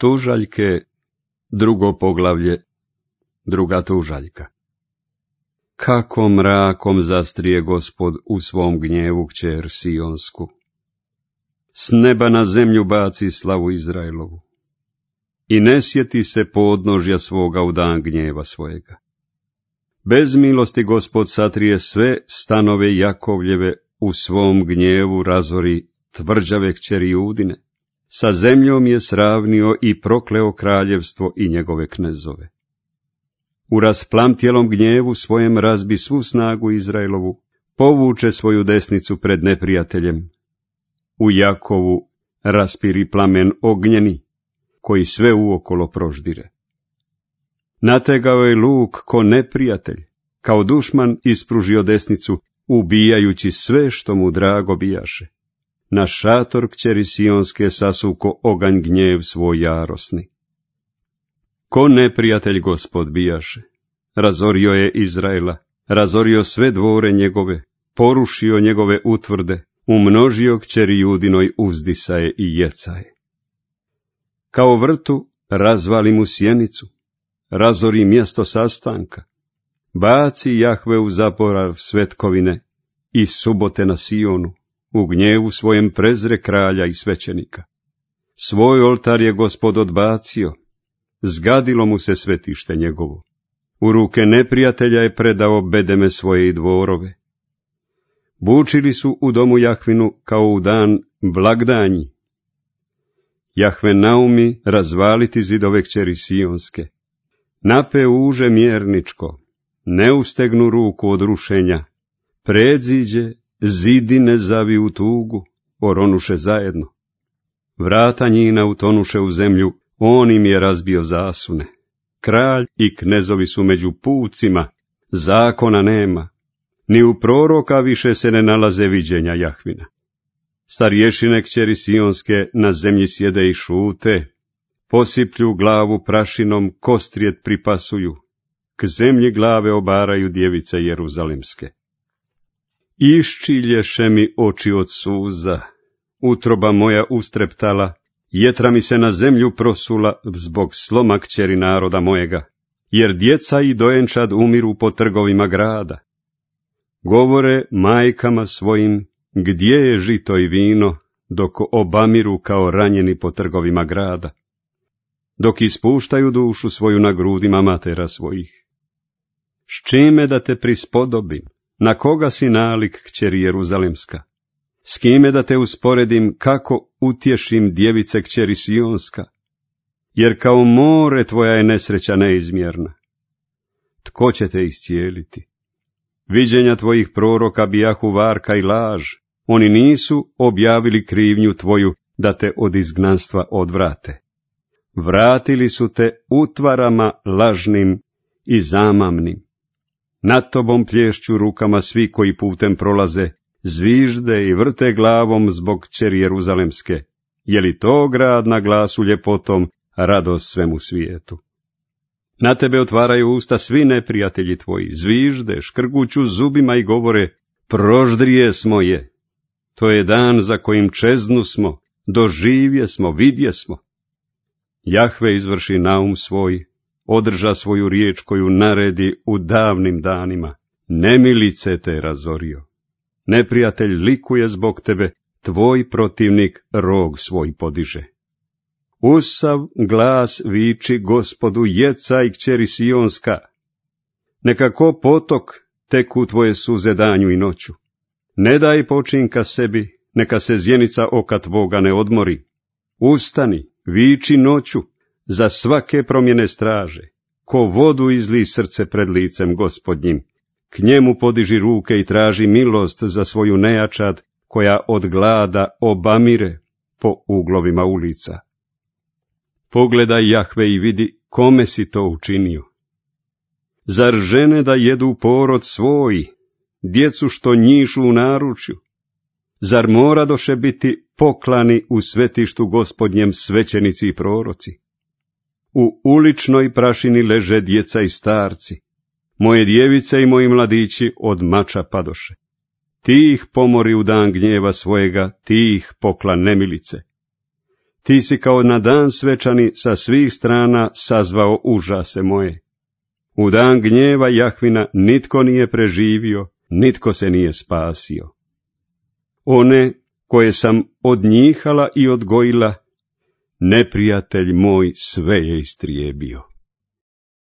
Tužaljke, 2. poglavlje, 2. tužaljka. Kako mrakom zastrije Gospod u svom gnjevu kćer Sionsku. S neba na zemlju baci slavu Izraelovu. I ne sjeti se podnožja svoga u dan gnjeva svojega. Bez milosti Gospod satrije sve stanove Jakovljeve, u svom gnjevu razori tvrđave kćeri Judine. Sa zemljom je sravnio i prokleo kraljevstvo i njegove knezove. U rasplamtjelom gnjevu svojem razbi svu snagu Izraelovu, povuče svoju desnicu pred neprijateljem. U Jakovu raspiri plamen ognjeni, koji sve uokolo proždire. Nategao je luk ko neprijatelj, kao dušman ispružio desnicu, ubijajući sve što mu drago bijaše. Na šator kćeri Sionske sasuko oganj gnjev svoj jarosni. Ko neprijatelj Gospod bijaše, razorio je Izraela, razorio sve dvore njegove, porušio njegove utvrde, umnožio kćeri Judinoj uzdisaje i jecaje. Kao vrtu razvali mu sjenicu, razori mjesto sastanka, baci Jahve u zaborav svetkovine i subote na Sionu, u gnjevu svojem prezre kralja i svećenika. Svoj oltar je Gospod odbacio, zgadilo mu se svetište njegovo. U ruke neprijatelja je predao bedeme svoje i dvorove. Bučili su u domu Jahvinu kao u dan blagdanji. Jahve naumi razvaliti zidove kćeri Sionske. Nape uže mjerničko, ne ustegnu ruku od rušenja. Predziđe, zidine zavi u tugu, oronuše zajedno. Vrata njina utonuše u zemlju, on im je razbio zasune. Kralj i knezovi su među pucima, zakona nema. Ni u proroka više se ne nalaze viđenja Jahvina. Starješine kćeri Sionske na zemlji sjede i šute, posiplju glavu prašinom, kostrijet pripasuju, k zemlji glave obaraju djevice jeruzalimske. Iščilješe mi oči od suza, utroba moja ustreptala, jetra mi se na zemlju prosula zbog sloma kćeri naroda mojega, jer djeca i dojenčad umiru po trgovima grada. Govore majkama svojim, gdje je žito i vino, dok obamiru kao ranjeni po trgovima grada, dok ispuštaju dušu svoju na grudima matera svojih. S čime da te prispodobim, na koga si nalik kćeri Jeruzalemska? S kime da te usporedim, kako utješim djevice kćeri Sionska? Jer kao more tvoja je nesreća neizmjerna. Tko će te iscijeliti? Viđenja tvojih proroka bijahu varka i laž, oni nisu objavili krivnju tvoju da te od izgnanstva odvrate. Vratili su te utvarama lažnim i zamamnim. Nad tobom plješću rukama svi koji putem prolaze, zvižde i vrte glavom zbog kćeri Jeruzalemske. Je li to grad na glasu ljepotom, radost svemu svijetu? Na tebe otvaraju usta svi neprijatelji tvoji, zvižde, škrguću zubima i govore, proždrije smo je. To je dan za kojim čeznu smo, doživje smo, vidje smo. Jahve izvrši naum svoj, održa svoju riječ koju naredi u davnim danima. Nemilice te razorio. Neprijatelj likuje zbog tebe, tvoj protivnik rog svoj podiže. Usav glas viči Gospodu, jecaj kćeri Sionska. Neka ko potok teku tvoje suze danju i noću. Ne daj počinka sebi, neka se zjenica oka tvoga ne odmori. Ustani, viči noću, za svake promjene straže. Ko vodu izli srce pred licem Gospodnjim, k njemu podiži ruke i traži milost za svoju nejačad, koja od glada obamire po uglovima ulica. Pogledaj Jahve i vidi kome si to učinio. Zar žene da jedu porod svoj, djecu što njišu u naručju? Zar moradoše biti poklani u svetištu Gospodnjem svećenici i proroci? U uličnoj prašini leže djeca i starci, moje djevice i moji mladići od mača padoše. Ti ih pomori u dan gnjeva svojega, ti ih pokla nemilice. Ti si kao na dan svečani sa svih strana sazvao užase moje. U dan gnjeva Jahvina nitko nije preživio, nitko se nije spasio. One koje sam odnjihala i odgojila, neprijatelj moj sve je istrijebio.